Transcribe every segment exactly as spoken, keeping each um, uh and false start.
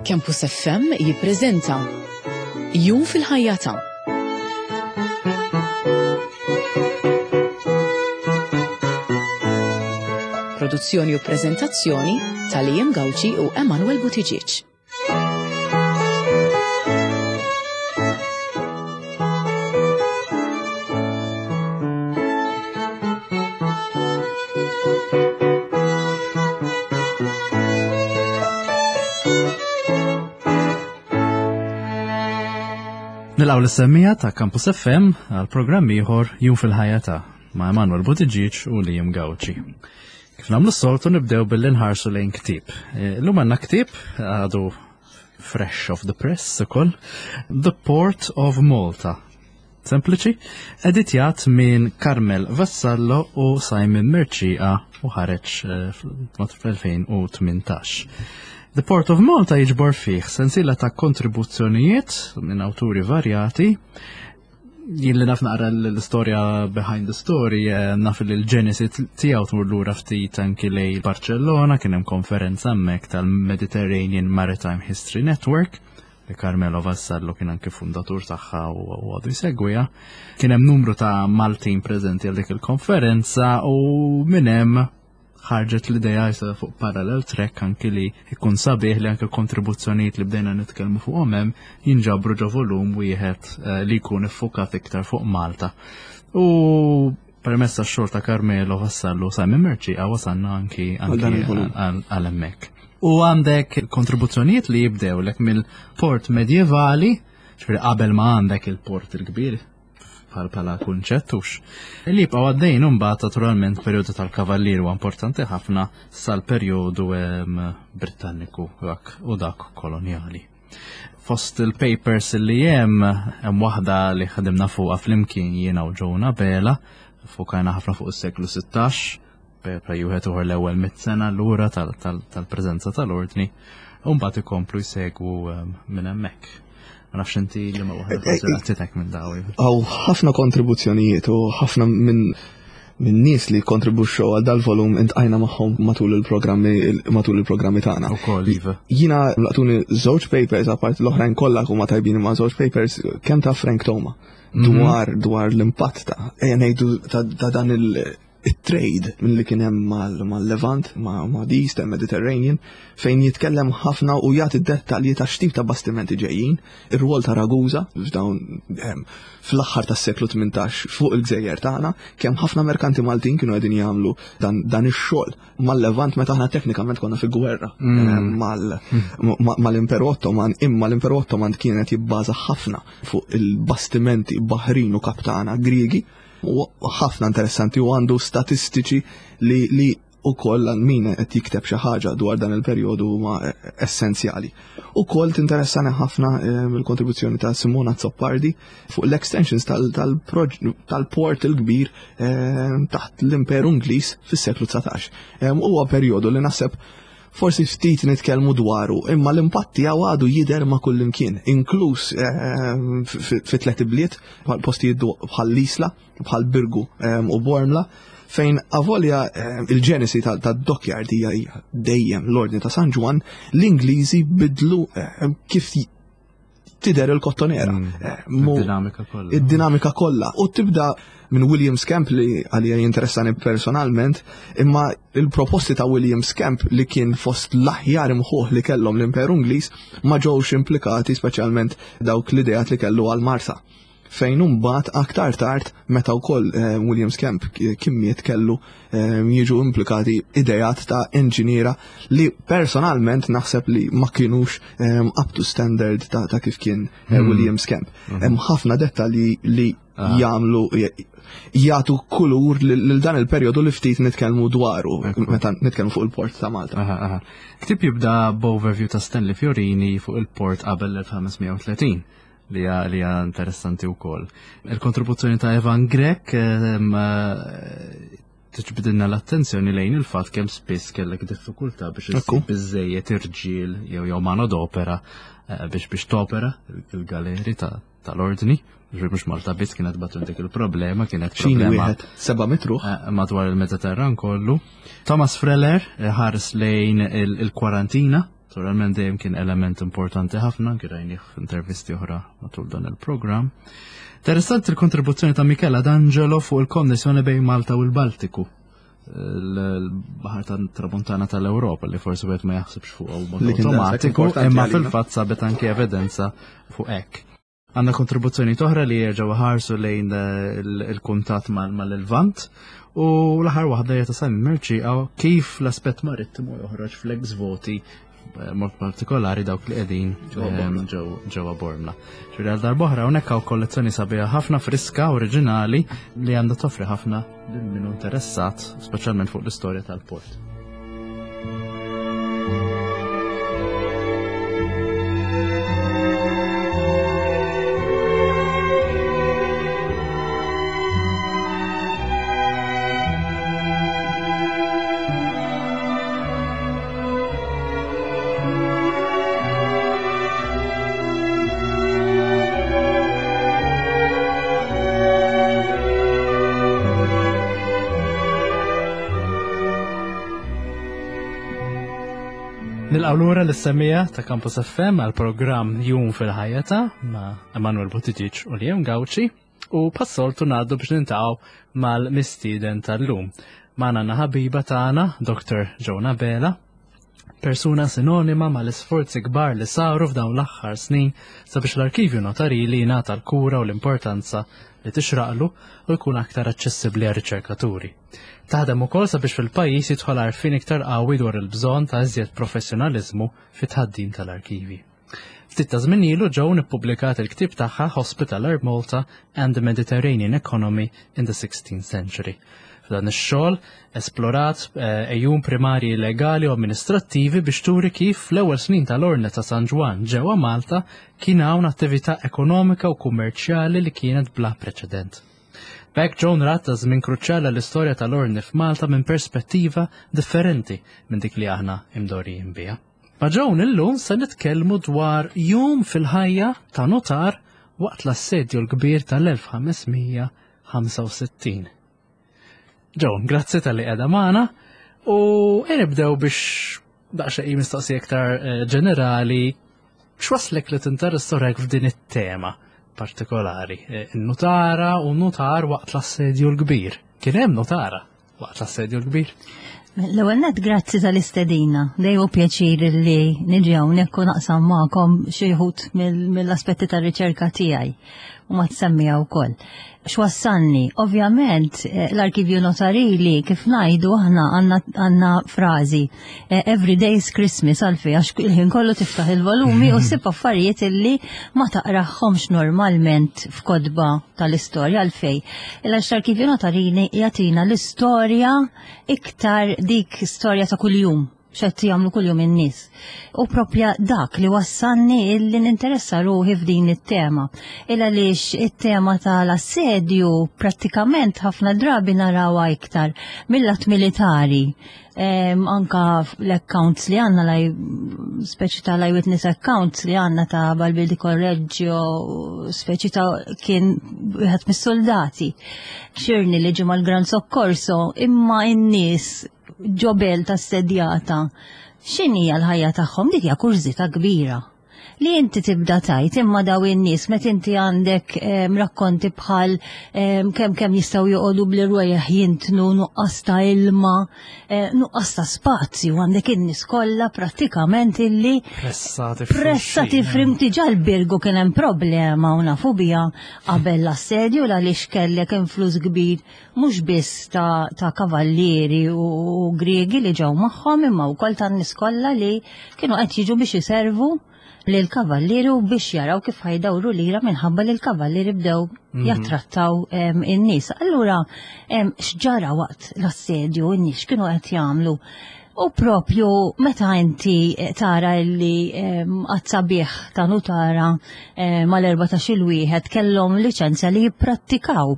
Campus F M jippreżenta Jum fil-ħajja ta' Produzzjoni u prezentazzjoni ta' Liam Gauci u Emanuel Buttigieg. Nilqgħu lis-semmiegħa ta' Campus F M għal programm ieħor, Jum fil-ħajja ta' ma' Emanuel Buttigieg u Liam Gauci. Kif nagħmlu s-soltu, nibdew billi nħarsu lejn ktieb. Illum għandna ktieb għadu fresh off the press ukoll, The Port of Malta. Sempliċi, editjat minn Carmel Vassallo u Simon Mercieca u ħareġ eh, fl-elfejn u tmintax. The Port of Malta jiġbor fih sensiela ta' kontribuzzjonijiet minn awturi varjati. Jien li naf naqra l-istorja behind the story, eh, naf li l-ġenesi tiegħu tmur lura ftit anki lejn Barcellona. Kien hemm konferenza hemmhekk tal-Mediterranean Maritime History Network li Carmelo Vassallo kien anki fundatur tagħha u u għadu jsegwiha. Kien hemm numru ta' Maltin preżenti għal dik il-konferenza u minn hemm ħarġet l-ideja jisa fuq parallel track anki li jkun sabiħ li anki kontribuzzjonijiet li bdejna nitkellmu fuqhom hemm jinġabru ġo volum wieħed eh, li jkun iffukat iktar fuq Malta. U permezz tax-xogħol ta' Carmelo Vassallo, Simon Mercieca, wasalna anki għal dan anki il-volum. għal għal hemmhekk. U għandek kontribuzzjonijiet li jibdew lek mill-port medjevali, ġifieri qabel ma għandek il-port il-kbir bħal bħala kunċett hux. Li jibqgħu għaddejn imbagħad naturalment perjodu tal-Kavallier huwa importanti ħafna sal-perjodu em, Britanniku dak u dak kolonjali. Fost il-papers li hemm, hemm waħda li ħadimna fuqha flimkien jiena u Ġona Bela, fokajna ħafna fuq is-seklu sittax, paper wieħed uħor l-ewwel mit sena lura tal-preżenza tal-ordni, u mbagħad ikomplu jsegwu em, minn hemmhekk. Ma nafx inti li ma waħda forsi laqtitek minn daw. Hawn ħafna kontribuzzjonijiet u ħafna minn minn nies li kontribuxxew għal dal-volum iltqajna magħhom matul il-programmi matul il-programmi tagħna. Ukoll, iva. Jiena laqtuni żewġ papers, apart l-oħrajn kollha huma tajbin, ma' żewġ papers kemm ta' Frank Toma dwar dwar l-impatt ta' ejja ngħidu ta' ta' dan il- it-trade minn li kien hemm mal- mal-Levant, ma' ma' the Eastern Mediterranean, fejn jitkellem ħafna u jagħti dettalji ta' x'tip ta' bastimenti ġejjin, ir-rwol ta' Ragusa f'dawn em, fl-aħħar tas-seklu tmintax fuq il-gżejjer tagħna, kemm ħafna merkanti Maltin kienu qegħdin jagħmlu dan, dan ix-xogħol mal-Levant meta aħna teknikament konna fi gwerra em, mal- ma- mal-Imperu Ottoman, imma l-Imperu Ottoman kienet jibbaża ħafna fuq il-bastimenti baħrin u kaptana Griegi. U ħafna interessanti u għandu statistiċi li, li u koll min qed jikteb xi ħaġa dwar dan il-perjodu huma essenzjali. U koll tinteressani ħafna eh, il-kontribuzzjoni ta' Simona Zoppardi fuq l-extensions tal-port il-kbir eh, taħt l-Imperu Ingliż fis-seklu dsatax. Eh, Huwa perjodu li naħseb forsi ftit nitkellmu dwaru, imma l-impatt tiegħu għadu jidher ma' kullimkien, inkluż eh, fi fi tliet ibliet, bħal postijiet du- bħal l-Isla, bħal Birgu eh, u Bormla, fejn avolja eh, il-ġenesi tad-dockyard hija hija dejjem l-Ordni ta' San Ġwann, l-Ingliżi bidlu eh, kif tidher il-Kottonera. Eh, mu- Id-dinamika kollha. Id-dinamika kollha. U tibda minn William Scamp li għalija jinteressani personalment, imma il-proposti ta' William Scamp, li kien fost l-aħjar imħuħ li kellhom l-Imperu Ingliż, ma ġewx implikati, speċjalment dawk l-ideat li kellu għal Marsa. Fejn imbagħad aktar tard, meta wkoll eh, William Scamp kien miet, kellu eh, jiġu implikati ideat ta' inġiniera li personalment naħseb li ma kienux eh, up to standard ta', ta kif kien eh, William Scamp. Hemm ħafna dettalji li jagħmlu jagħtu kulur lil lil dan il-perjodu li ftit nitkellmu dwaru meta nitkellmu fuq il-port ta' Malta. Aha, aha. Ktieb jibda b'overview ta' Stanley Fiorini fuq il-port qabel l-elf ħames mija u tletin li hija li hija interessanti wkoll. Il-kontribuzzjoni ta' Evan Grech ehm, eh, tiġbidilna l-attenzjoni lejn il-fatt kemm spiss kellek diffikultà biex Ekku. issib biżejjed irġiel jew jew manodopera eh, biex biex topera il-galeri ta' tal-ordni. Ġifieri mhux Malta biss kienet batu dik il-problema, kienet Xini problema wieħed seba' mitruħ. eh, madwar il-Mediterran kollu. Thomas Freller eh, ħares lejn il- il-kwarantina Naturalment dejjem kien element importanti ħafna, anki rajnih f'intervisti oħra matul dan il-programm. Interessanti l-kontribuzzjoni ta' Michela D'Angelo fuq il-konnessjoni bejn Malta u l-Baltiku, l-Baħar tat-Tramuntana tal-Ewropa, li forsi wieħed ma jaħsibx fuq b'mod Li kien daqshekk automatiku, importanti imma għalina. fil-fatt sabet anke evidenza fuq hekk. Għandna kontribuzzjoni oħra li jerġgħu ħarsu lejn eh, il- il-kuntatt mal- mal-Lvant u l-aħħar waħda hija ta' Simon Mercieca, kif l-aspett marittimu joħroġ fl-ex voti, eh, mod partikolari dawk li qegħdin Ġewwa ehm, Bormla. ġew- ġewwa Bormla. Ġifieri għal darb'oħra hawnhekk hawn kollezzjoni sabiħa ħafna, friska, oriġinali, li għandha toffri ħafna lil min hu interessat, speċjalment fuq l-istorja tal-port. Nilqgħu lura lis-semmiegħa ta' Campus F M għal programm Jum fil-ħajja ta' ma' Emanuel Buttigieg u Liam Gauci u bħas-soltu ngħaddu biex niltaqgħu mal-mistieden tal-lum. Magħna għandna ħabiba tagħna, Doctor Joan Abela, persuna sinonima mal-isforzi kbar li saru f'dawn l-aħħar snin sabiex l-arkivju notarili jingħata l-kura u l-importanza li tixraqlu u jkun aktar aċċessibbli għar riċerkaturi. Taħdem ukoll sabiex fil-pajjiż jidħol għarfien iktar qawwi dwar il-bżonn ta' iżjed professjonaliżmu fit-tħaddim tal-arkivi. Ftit ta' żmien ilu Joan ippubblikat il-ktieb tagħha Hospitaller Malta and the Mediterranean Economy in the sixteenth Century. F'dan ix-xogħol esplorat eh, għejun primarji legali u amministrattivi biex turi kif fl-ewwel snin tal-Ordni ta' San Ġwann ġewwa Malta kien hawn attività ekonomika u kummerċjali li kienet bla preċedent. B'hekk Joan rat ta' żmien kruċjali l-istorja tal-Ordni f'Malta minn perspettiva differenti minn dik li aħna imdorrijin biha. Ma' Joan illum se nitkellmu dwar jum fil-ħajja ta' notar waqt l-assedju l-kbir tal-elf ħames mija ħamsa u sittin. Joan, grazzi talli qiegħda magħna u nibdew biex daqsxejn mistoqsija iktar eh, ġenerali: x'waslek li tinteressa ruħek f'din it-tema partikolari, eh, in-nutara u notar waqt l-assedju l-kbir? Kien hemm notara waqt l-assedju l-kbir? L-ewwel net, grazzi tal-istedina. Dejjem pjaċir li niġi hawnhekk u naqsam magħkom xi wħud mill-aspetti tar-riċerka tiegħi u ma tsemmija wkoll. X'wassalni? Ovvjament eh, l-arkivju notarili, kif ngħidu aħna, għandna frażi eh, "Every day is Christmas", għalfejn? Għax il-ħin kollu tiftaħ il-volumi u ssib affarijiet illi ma taqraħħomx normalment f'kotba tal-istorja. Għalfejn? L-arkivju notarili jagħtina l-istorja iktar dik storja ta' kuljum, x'qed jagħmlu kuljum in-nies. U propja dak li wassalni illi ninteressa ruħi f'din it-tema. Illa għaliex it-tema tal-assedju prattikament ħafna drabi narawha iktar mill-lat militari. Um, anka l-accounts li għandna, laj, speċi ta' l-eyewitness accounts li għandna ta' Balbi di Correggio, speċi ta' kien wieħed mis-soldati. Xirni li ġie mal-Gran Soccorso, imma n-nies ġo belt assedjata. X'inhi l-ħajja tagħhom? Dik hija kurżità kbira. Li inti tibda tgħid, imma daw in-nies, meta inti għandek em, rakkonti bħal em, kemm kemm jistgħu joqogħdu bl-irwejjaħ jintnu, nuqqas ta' ilma, eh, nuqqas ta' spazju, għandek in-nies kollha prattikament illi pressati. Pressati frimti. Ġa l-Birgu kien hemm problema u nafu biha qabel l-assedju, għaliex kellek influss kbir mhux biss ta', ta kavallieri u, u Griegi li ġew magħhom, imma wkoll tan-nies kollha li kienu qed jiġu biex iservu lil kavallieri u biex jaraw kif ħa jdawru lira, minħabba li l-kavallieri bdew jattrattaw em, in-nies. Allura em, x'ġara waqt l-assedju, in-nies x'kienu qed jagħmlu? U propju meta inti eh, tara li għadd sabiħ ta' nutara eh, mal-erbatax-il wieħed kellhom liċenzja li jipprattikaw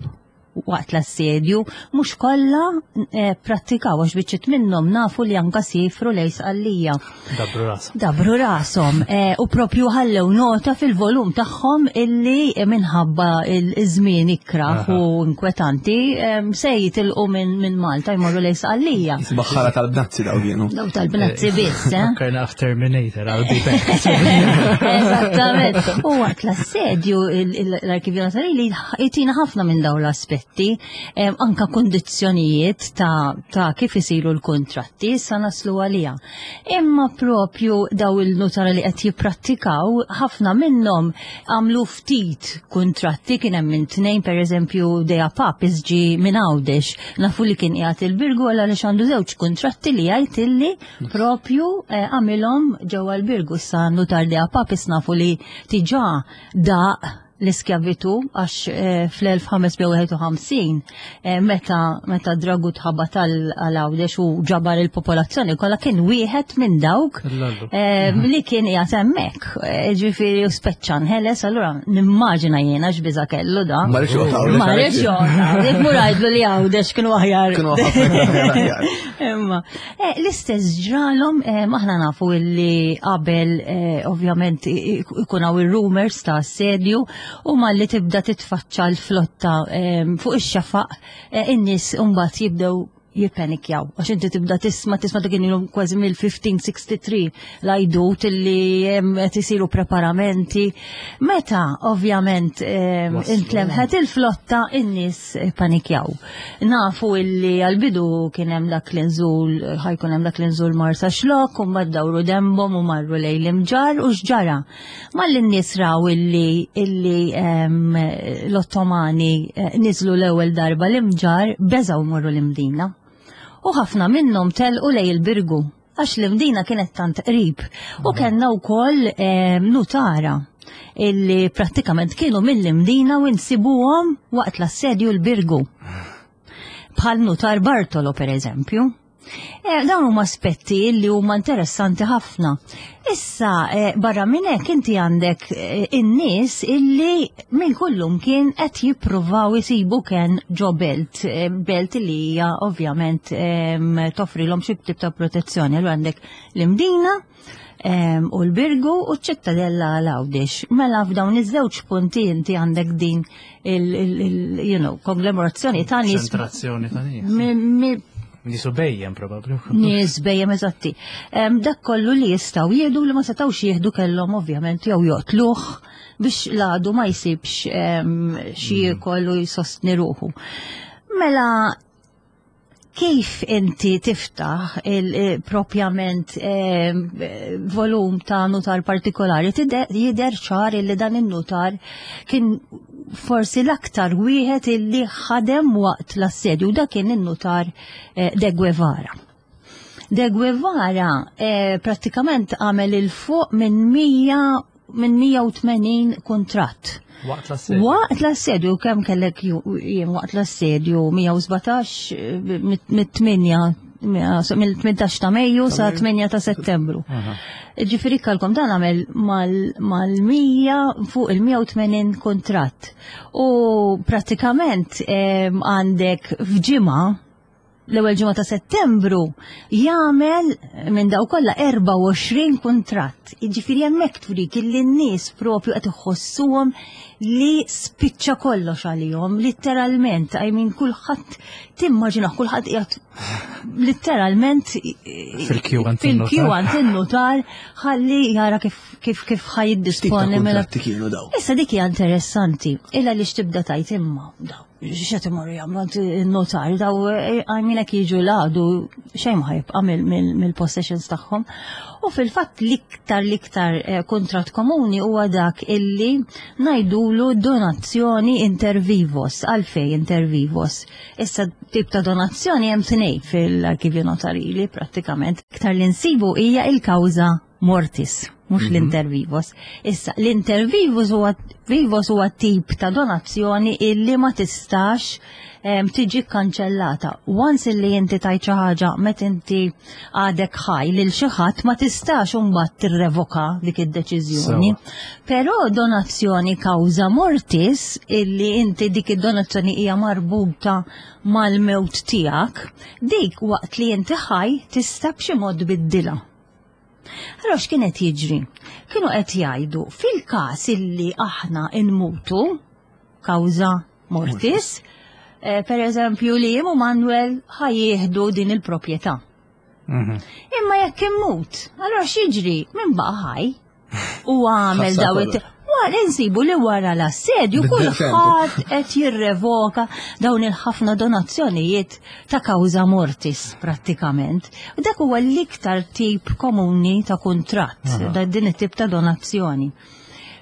waqt l-assedju, mhux kollha eh, prattikaw għax biċċiet minnhom nafu li anka sifru lejn Sqallija. Dabru rashom. Dabru rashom eh, u propju ħallew nota fil-volum tagħhom illi minħabba il-żmien ikraħ u inkwetanti se jitilqu minn Malta jmorru lejn Sqallija. Baħħara tal-bnazzi daw kienu. Daw tal-bnazzi biss, eh? Fakkarna Terminator, I'll be back. Eżattament. U waqt l-assedju l-Arkivju Notarili jtina ħafna minn dawn l-aspetti, anka kondizzjonijiet ta', ta kif isiru l-kontratti, sa naslu għalija. Imma propju daw il-nutara li qed jipprattikaw, ħafna minnhom għamlu ftit kontratti, kien hemm minn tnejn, pereżempju Dea Papis ġi minn Għawdex, nafu li kien qiegħed il-Birgu għal għaliex għandu żewġ kontratti li jgħid illi propju eh, għamilhom ġewwa l-Birgu. Sa nutar Dea Papis nafu li tiġà daq l-iskjavitu għax eh, fl-elf ħames mija wieħed u ħamsin eh, meta meta Dragut ħabat għal Għawdex u ġabar il-popolazzjoni kollha, kien wieħed minn dawk eh, li kien qiegħed hemmhekk. Ġifieri u speċċa nħeles, allura nimmaġina jiena x'biża kellu da. Ma rridx joqgħod. Ma rridx joqgħod. Mur għidlu li Għawdex kienu aħjar. Kienu aħjar. Imma l-istess ġralhom, aħna nafu illi qabel ovvjament ikun hawn ir-rumors ta' assedju u malli tibda titfaċċa l-flotta fuq ix-xafaq, eh, in-nies mbagħad jibdew jippanikjaw. Għax inti tibda tisma' tisma' dak ilhom kważi mill-elf ħames mija u sitta u ħamsin l-għajdut illi qed isiru preparamenti. Meta ovvjament intlemħet il-flotta, in-nies panikjaw. Nafu illi għal-bidu kien hemm dak l-inżul, ħa jkun hemm dak l-inżul Marsaxlokk, u mbagħad dawru dembhom u marru lejn l-Imġarr u x'ġara. Malli n-nies raw illi illi l-Ottomani eh, niżlu l-ewwel darba l-Imġarr, beżaw morru l-Imdina. U ħafna minnhom telqu lejn il-Birgu għax l-Imdina kienet tant qrib. U kellna wkoll nutara illi prattikament kienu mill-Imdina u nsibuhom waqt l-assedju l-Birgu. Bħal nutar Bartolo, per eżempju. Eh, dawn huma aspetti li huma interessanti ħafna. Issa, eh, barra minn hekk inti għandek eh, in-nies illi minn kullum kien qed jippruvaw isibu kien ġo belt, belt li hija ovvjament toffrilhom xi tip ta' protezzjoni. Allura għandek l-Imdina u l-Birgu u ċ-Ċittadella għal Għawdex. Mela f'dawn iż-żewġ punti inti għandek din il, you know, konglomerazzjoni ta' nies. Konċentrazzjoni ta' nies. Nisu bejjem probabli. Nies bejjem, eżatti. Dak kollu li jistgħu jieħdu, li ma setgħux jieħdu kellhom ovvjament jew joqtluh biex l-għadu ma jsibx xi mm. kollu jsostni ruħu. Mela kif inti tiftaħ il-propjament volum ta' nutar partikolari, jidher ċar illi dan il-nutar kien forsi l-aktar wieħed illi ħadem waqt l-assedju, da kien il-nutar eh, De Guevara. De Guevara eh, prattikament għamel il-fuq minn mija minn mija u tmenin kontratt. Waqt l-assedju. Waqt l-assedju, kemm kellek jiem waqt l-assedju? mija u sbatax mit-tmienja, mill-tmintax ta' Mejju sa tmienja ta' Settembru. Ġifieri kalkom dan għamel mal-mija, fuq il-mija u tmenin kontratt. U pratikament għandek f'ġimgħa, l-ewwel ġimgħa ta' Settembru, jagħmel minn daw kollha erbgħa u għoxrin kuntratt. Jiġifieri hemmhekk turik illi n-nies propju qed iħossuhom li spiċċa kollox għalihom, letteralment, I mean, kulħadd, timmaġina, kulħadd qiegħed letteralment fil-kju għand fil-kju għand in-nutar ħalli jara kif kif kif ħa jiddisponi mela. Kienu daw. Issa dik hija interessanti, illa li x'tibda tajt imma daw x'qed imorru jagħmlu għand in-notar daw, għajminek jiġu l-għadu xejn ma jibqa' mill-possessions tagħhom. U fil-fatt l-iktar l-iktar eh, kontrat komuni huwa dak illi ngħidulu donazzjoni inter vivos. Għalfej inter vivos? Issa tip ta' donazzjoni hemm tnejn fil-arkivju notarili prattikament. Iktar li nsibu hija il-kawża mortis. mhux l-inter vivos. Issa, l-inter vivos huwa vivos huwa tip ta' donazzjoni illi ma tistax em, tiġi kanċellata. Once illi inti tajt xi ħaġa meta inti għadek ħaj lil xi ħadd, ma tistax imbagħad tirrevoka dik id-deċiżjoni. Però donazzjoni causa mortis, illi inti dik id-donazzjoni hija marbuta mal-mewt tiegħek, dik waqt li inti ħaj tista' b'xi mod tbiddilha. Allora x'kien qed jiġri? Kienu qed jgħidu fil-każ illi aħna nmutu causa mortis, eh, per eżempju li jien u Manuel ħa jieħdu din il-proprjetà. Mhm. Imma jekk immut, allora x'jiġri? Min baqa' ħaj? U għamel Ħassar daw kollox. it Wara insibu li wara l-assedju Biddel kulħadd qed jirrevoka dawn il-ħafna donazzjonijiet ta' causa mortis prattikament. U dak huwa l-iktar tip komuni ta' kuntratt, da din it-tip ta' donazzjoni.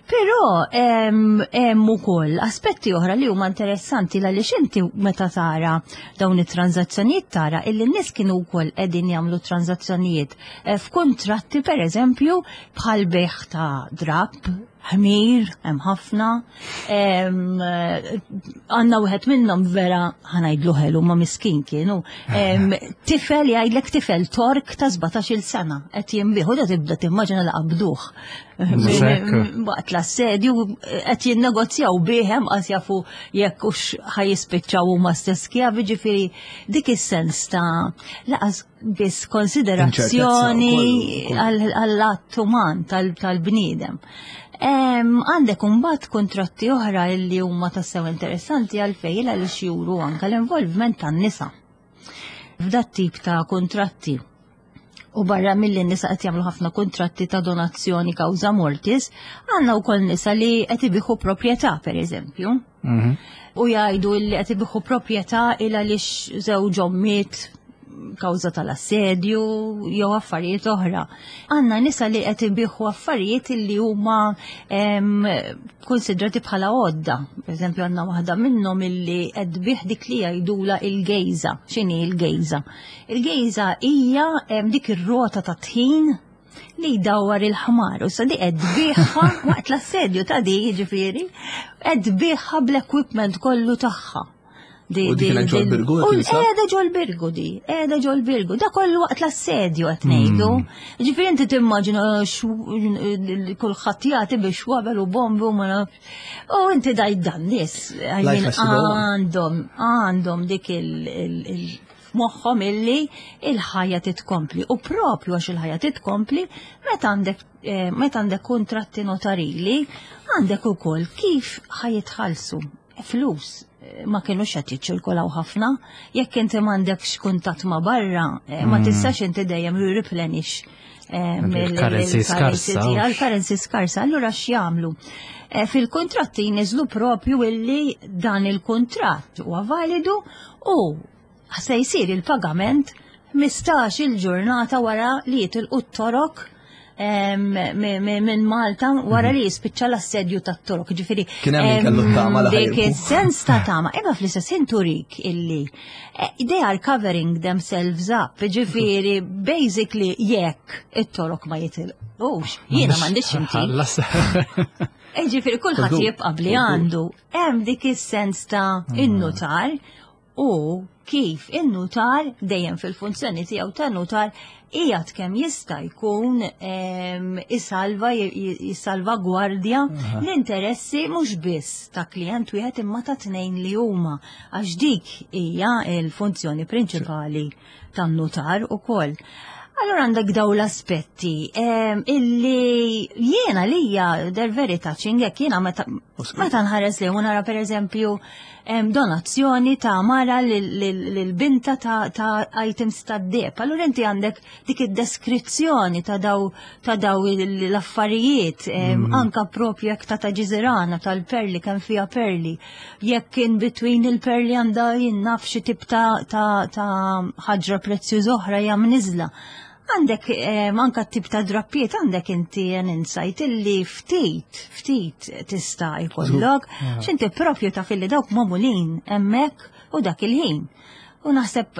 Però hemm ukoll aspetti oħra li huma interessanti, għaliex inti meta tara dawn it-transazzjonijiet tara illi n-nies kienu wkoll qegħdin jagħmlu transazzjonijiet eh, f'kuntratti, pereżempju bħal bejgħ ta' drab, ħmir, hemm ħafna. em, eh, Għandna wieħed minnhom vera ħa ngħidlu ħelu ma miskin kienu. Em, Tifel jgħidlek tifel Tork ta' sbatax-il sena qed jinbiegħ, da tibda timmaġina li qabduh. Mhux hekk. Waqt l-assedju qed jinnegozjaw bihem, qas jafu jekk hux ħa jispiċċaw huma stess skjavi, ġifieri dik is-sens ta' lanqas biss konsiderazzjoni Inċertezza wkoll. għall-att uman tal- tal-bniedem. Em, Għandek imbagħad kontratti oħra illi huma tassew interessanti, għalfejn, għaliex juru anka l-involvement tan-nisa f'dat tip ta' kontratti. U barra mill nisa qed jagħmlu ħafna kontratti ta' donazzjoni causa mortis, għandna wkoll nisa li qed ibigħu proprjetà, pereżempju. Mhm. U jgħidu li qed ibigħu proprjetà il għaliex żewġhom miet kawża tal-assedju jew affarijiet oħra. Għandna nisa li qed ibigħu affarijiet li huma em, konsidrati bħala għodda. Per eżempju, għandna waħda minnhom illi qed tbigħ dik li jgħidula il-gejża. X'inhi il-gejża? Il-gejża hija em, dik ir-rota ta' tħin li jdawwar il-ħmar u sa di qed tbigħha waqt l-assedju ta' di, jiġifieri qed tbigħha bl-equipment kollu tagħha. Di- U di kienet di- ġol-Birgu U tinsab? qiegħda ġol-Birgu di, qiegħda ġol-Birgu. Da kollu waqt l-assedju qed ngħidu. Ġifieri inti timmaġina xu- kulħadd jagħti biex wabel u bombi u ma nafx. U inti daj dan nies, I Life mean, has to go on. għandhom għandhom dik il- il- il- moħħom illi il-ħajja titkompli. U propju għax il-ħajja titkompli, meta għandek eh, meta għandek kontratti notarili, għandek ukoll kif ħa jitħallsu flus eh, ma kienux qed jiċċirkolaw ħafna. Jekk inti m'għandekx kuntatt ma' barra, eh, ma tistax inti dejjem replenish eh, mill- Il-currency mill-currency skarsa. tiegħek, il-currency skarsa. Allura x'jagħmlu? Eh, Fil-kontratti jniżlu propju illi dan il-kontratt huwa validu u se jsir il-pagament ħmistax il-ġurnata wara li jitilqu t-Torok em, mi- mi- minn Malta, wara li jispiċċa l-assedju tat-Torok. Ġifieri Kien hemm min kellu t-tama li dik ħa jirbħu. is-sens ta' tama. Imma fl-istess ħin turik illi eh, they are covering themselves up. Ġifieri basically jekk it-Torok ma jitilqux, jiena m'għandix inti. Ħallas. Eh, Ġifieri kulħadd Żgur, jibqa' bli żgur. għandu. Hemm dik is-sens ta' in-nutar u kif in-nutar dejjem fil-funzjoni tiegħu ta' nutar qiegħed kemm jista' jkun em, isalva jissalvagwardja l-interessi mhux biss ta' klient wieħed imma ta' tnejn li huma, għax dik hija l-funzjoni prinċipali tan-nutar ukoll. Allora għandek daw l-aspetti em, illi jiena lija they're very touching, jekk jiena meta meta nħares li nara, per eżempju, em, donazzjoni ta' mara lil binta ta', ta' items ta' deheb. Allura inti għandek dik id-deskrizzjoni ta' daw ta' daw l-affarijiet, em, anka propju jekk ta' ta' ġiżirana tal-perli, kemm fiha perli. Jekk in between il-perli għandha jien naf xi tip ta' ta' ta' ħaġra prezzjuża oħra hija mniżla. Għandek eh, anka tip ta' drappiet, għandek inti an insight illi ftit, ftit tista' jkollok, x'inti propju ta' filli dawk magħmulin hemmhekk u dak il-ħin. U naħseb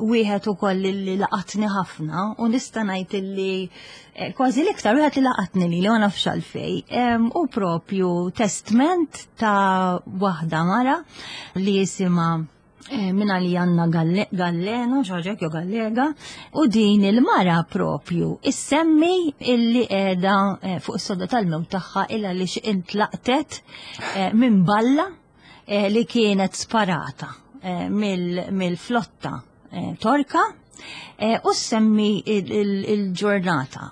wieħed ukoll li laqatni ħafna u nista' ngħid li eh, kważi l-iktar wieħed li laqatni li li ma nafx għalfejn. U propju testment ta' waħda mara li jisimha eh, minna li għanna Gallena, xaġek jo Gallega, u din il-mara propju issemmi illi qiegħda eh, fuq is-sodda tal-mewt tagħha illa li intlaqtet minn balla li kienet sparata Eh, mill-flotta eh, Torka eh, u semmi il-ġurnata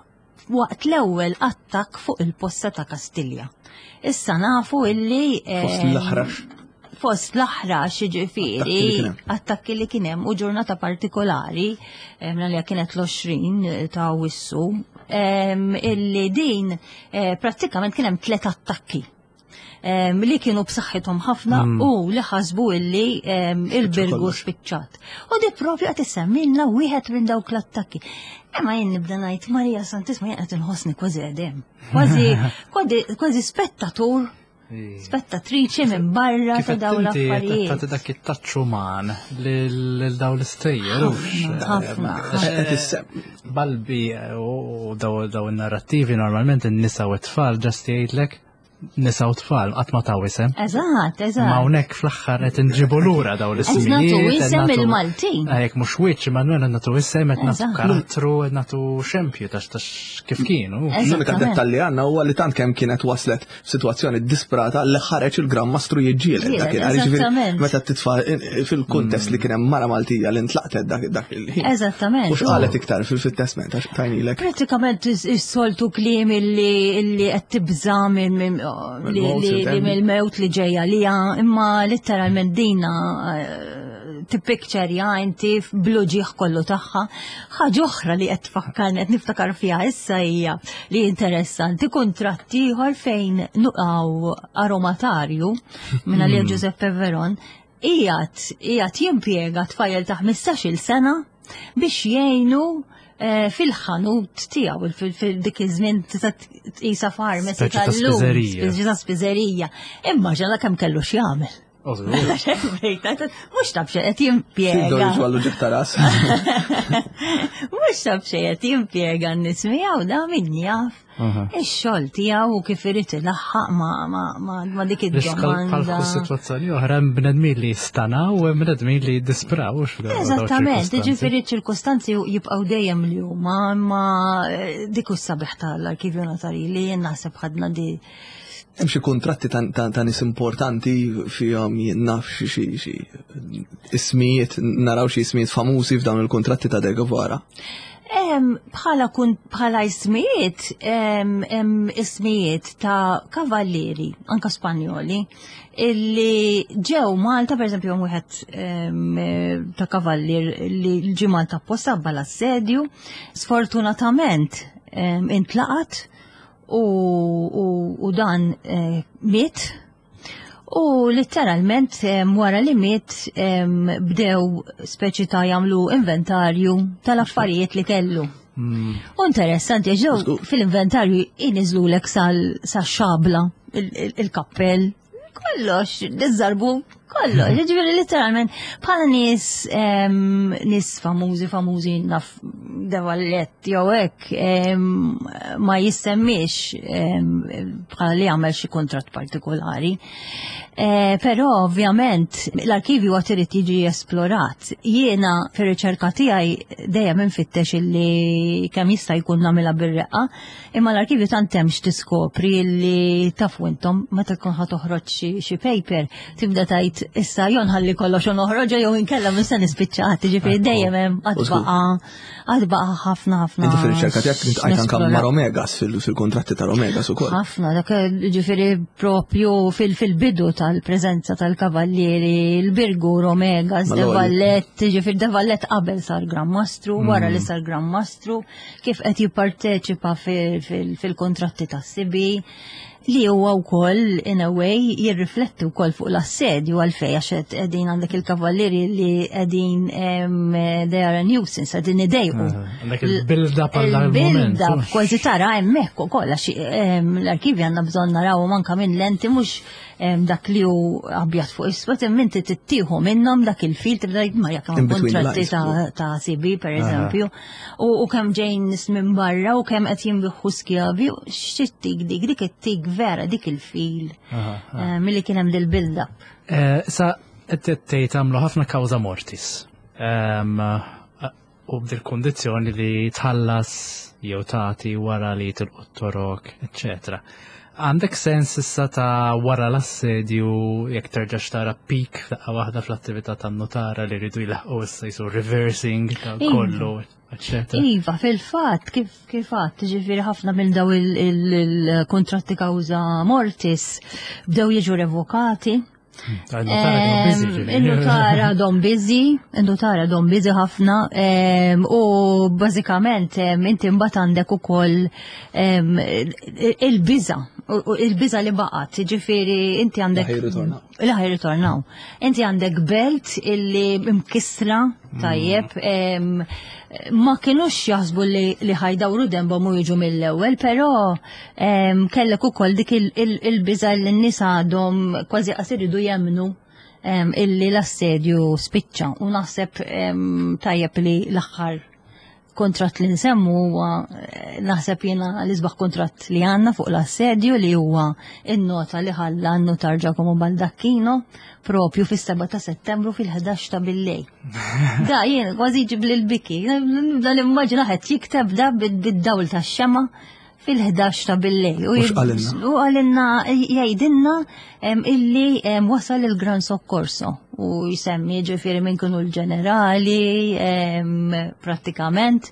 waqt l-ewwel attakk fuq il-posta ta' Kastilja. Issa nafu illi fost l-aħrax. Fost l-aħrax ġifieri attakki li kien hemm u ġurnata partikolari minna li kienet l-għoxrin ta' Awwissu illi din prattikament kien hemm tliet attakki li kienu b'saħħithom ħafna mm. u li ħasbu illi il-Birgu spiċċat. U di propju qed issemmilna wieħed minn dawk l-attakki. Imma jien nibda ngħid Marija Santissima, jien qed inħossni kważi qedem. Kważi kważi spettatur, spettatriċi minn barra ta' dawn l-affarijiet. Ta' dak it-touch uman lil dawn l-istejjer. Ħafna. Balbi u daw in-narrattivi normalment in-nisa u t-tfal just jgħidlek nisa u tfal, qatt ma taw isem. Eżatt, eżatt. Ma hawnhekk fl-aħħar qed inġibu lura daw l-ismijiet. Nagħtu isem il-Maltin. Jekk mhux wiċċ, ma nagħtu nagħtu isem, qed nagħtu karattru, qed nagħtu xempju tax tax kif kienu. L-unika dettall li għandna huwa li tant kemm kienet waslet f'sitwazzjoni disprata li ħareġ il-Gran Mastru jiġġieled dakinhar. Jiġifieri meta titfa' fil-kuntest li kien hemm mara Maltija li ntlaqtet dak il-ħin. Eżattament. U x'qalet iktar fil-testament għax tajnilek. Pratikament is-soltu kliem illi qed tibża' minn li mill-mewt li ġejja li imma letteralment dina tippikċerja inti bl-uġigħ kollu tagħha. Ħaġa oħra li qed tfakkarni, qed niftakar fiha issa, hija li interessanti, kuntratt ieħor fejn nuqaw aromatarju minna li Giuseppe Veron qiegħed qiegħed jimpjega tfajjel ta' ħmistax-il sena biex jgħinu eh, fil-ħanut tiegħu fil-dik iż-żmien tista' tqisha pharmacy Speċi ta' tal-lum. spiżerija. Speċi ta' spiżerija. Imma ġala kemm kellu x'jagħmel. Mhux taf xejn qed jimpjega. Tidor ġwallu ġieħ ta' ras. Mhux taf xejn qed jimpjega n-nies miegħu, da min jaf ix-xogħol tiegħu u kif irid ilaħħaq ma' ma' ma' ma' dik Bħal id-domanda. Situazzjoni oħra, hemm bnedmin li jistanaw u hemm bnedmin li jiddispraw. Eżattament, ġifieri ċirkostanzi jibqgħu dejjem li huma, imma eh, dik hu s-sabiħ tal-arkivju notarili, jien naħseb ħadna di Hemm xi kuntratti ta' ta' ta' nies importanti fihom, jien naf xi xi xi ismijiet, naraw xi ismijiet famużi f'dawn il-kuntratti ta' De Guevara? Em, Bħala kun bħala ismijiet, em, em, ismijiet ta' kavallieri, anka Spanjoli, illi ġew Malta, per eżempju, hemm wieħed em, eh, ta' kavallier li ġie Malta apposta bħala assedju, sfortunatament em, intlaqat u, u, u dan eh, miet. U letteralment em, wara li miet em, bdew speċi ta' jagħmlu inventarju tal-affarijiet li kellu. U interessanti, għax ġew fil-inventarju iniżlulek sal sa xabla, il- il- il-kappell, kollox, iż-żarbun, kollox. Ġifieri letteralment bħala nies em, nies famużi famużi naf De Valette jew hekk em, ma jissemmix em, bħala li għamel xi kuntratt partikolari. Eh, Però ovvjament l-arkivju għad irid jiġi esplorat. Jiena fir-riċerka tiegħi dejjem infittex illi kemm jista' jkun nagħmilha bir-reqqa, imma l-arkivju tant hemm x'tiskopri illi tafu intom meta tkun ħa toħroġ xi xi paper tibda tgħid issa jew nħalli kollox u noħroġha jew inkella minn se nispiċċat, ġifieri dejjem hemm għad U żgur. baqa' għad baqa' ħafna ħafna. Inti fir-riċerka tiegħek iltqajt anke x'nesplora. ma' Romegas fil- fil-kontratti ta' Romegas ukoll. Ħafna, dak ġifieri propju fil-bidu tal-preżenza tal-kavallieri, il-Birgu, Romegas, De Mal-ewwel. Valette, ġifieri De Valette qabel sar Gran Mastru, wara li sar Gran Mastru, kif qed jipparteċipa fil- fil- fil-kontratti tas-sibi, li huwa wkoll in a way jirrifletti wkoll fuq l-assedju, għalfej, għax qed qegħdin għandek il-kavallieri li qegħdin em, they are a nuisance, qegħdin idejqu. Għandek il-build-up għal dak il-moment. Il-build-up kważi tara hemmhekk ukoll għax em, l-arkivi għandna bżonn naraw anke minn lenti mhux dak li hu abjad fuq iswed, imma inti tittieħu minnhom dak il-fil tibda ma jekk In between the kontratti lines. ta' ta' C B per eżempju, u u kemm ġejn nies minn barra u kemm qed jinbiħu skjavi, x'ittik dik dik ittik vera dik il-fil eh, milli kien hemm dil-build-up. Eh, Sa qed tgħid għamlu ħafna causa mortis. Em, U b'dil kondizzjoni li tħallas jew tagħti wara li tilqu torok, eċċetera. Għandek sens issa ta' wara l-assedju jekk terġax tara peak f'daqqa waħda fl-attività tan-notara li rridu jlaħqu issa jisu reversing ta' Iva. kollu, eċċetera. Iva, fil-fatt, kif kif għadt, ġifieri ħafna minn daw il-kontratti causa mortis bdew jiġu revokati. Il-notara kienu busy, ġifieri. Il-notara dom busy, il-notara dom busy ħafna, em, u bażikament em, inti mbagħad għandek ukoll em, il-biża, u- u il-biża li baqgħet, ġifieri inti għandek. La ħajritornaw. La ħajritornaw. Inti għandek belt illi mkisra, tajjeb, em, ma kienux jaħsbu li, li ħajdawru dembhom u jiġu mill-ewwel, però em, kellek ukoll dik il- il- il-biża li n-nies għadhom kważi qas iridu jemnu em, illi l-assedju spiċċa u naħseb em, tajjeb li l-aħħar kontrat li nsemmu huwa eh, naħseb jiena l-isbaħ kontrat li għandna fuq l-assedju, li huwa in-nota li ħalla n-notar Giacomo Baldacchino propju fis-seba ta' Settembru fil-ħdax ta' billejl. Da jien kważi ġib l-biki, nibda nimmaġina qed jikteb da bid-dawl tax-xema fil-ħdax ta' billejl. U x'qalilna? U għalinna, jgħidilna em, illi em, wasal il-Gran Soccorso u jsemmi ġifieri minn kienu l-ġenerali, em, prattikament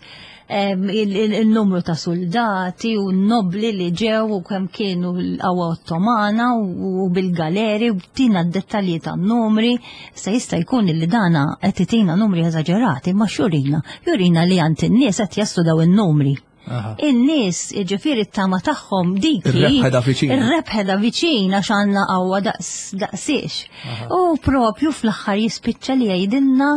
em, il- il- il-numru ta' soldati u n-nobli li ġew u kemm kienu l-qawwa ottomana u bil-galeri u tina d-dettalji ta' numri. Sa jista' jkun li dana qed itina numri eżaġerati, ma xurina, jurina li għand in-nies qed jaslu daw in-numri. Aha. In-nies, ġifieri t-tama tagħhom dik. Ir-rebħa da viċin. Ir-rebħa da viċin għax għandna qawwa daqs daqsiex. U propju fl-aħħar jispiċċa li jgħidilna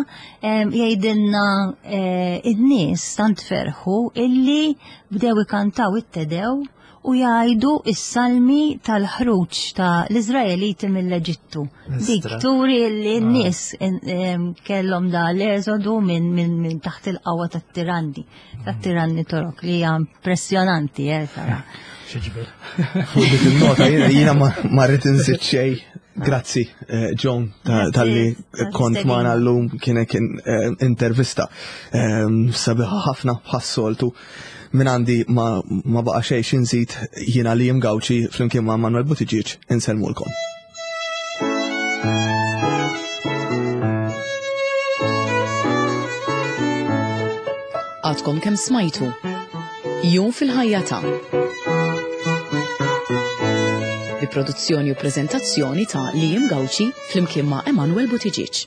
em, jgħidilna eh, in-nies tant ferħu illi bdew ikantaw it-Te Deum u jgħidu is-salmi tal-ħruġ ta' l-Izraeliti mill-Eġittu. Dik Istra. turi li n-nies em, kellhom da l-eżodu minn min, min taħt il-qawwa tat-tiranni, tat-tiranni Torok, li hija impressjonanti, eh, tara. Xieġbel. Fuq dik il-nota jiena jiena ma ma rrid inżid xejn. Grazzi, eh, John, ta- Grazzi, talli tal-istedina. kont magħna llum. Kien kien eh, intervista eh, sabiħa ħafna bħas-soltu. Min għandi ma ma baqa' xejn x'inżid. Jiena li Gawċi flimkien ma' Manuel Buttigieg insellmulkom. Għadkom kemm smajtu Jum fil-ħajja ta' bi produzzjoni u prezentazzjoni ta' Liam Gauci flimkien ma' Emanuel Buttigieg.